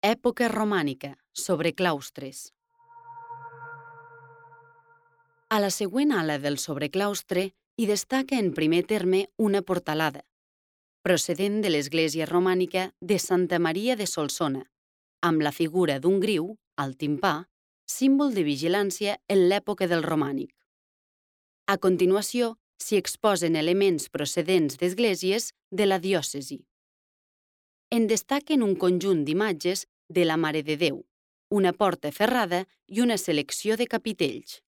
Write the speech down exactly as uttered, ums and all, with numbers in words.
Època romànica, sobre claustres. A la següent ala del sobreclaustre hi destaca en primer terme una portalada, procedent de l'església romànica de Santa Maria de Solsona, amb la figura d'un griu, al timpà, símbol de vigilància en l'època del romànic. A continuació, s'hi exposen elements procedents d'esglésies de la diòcesi. En destaquen un conjunt d'imatges de la Mare de Déu, una porta ferrada i una selecció de capitells.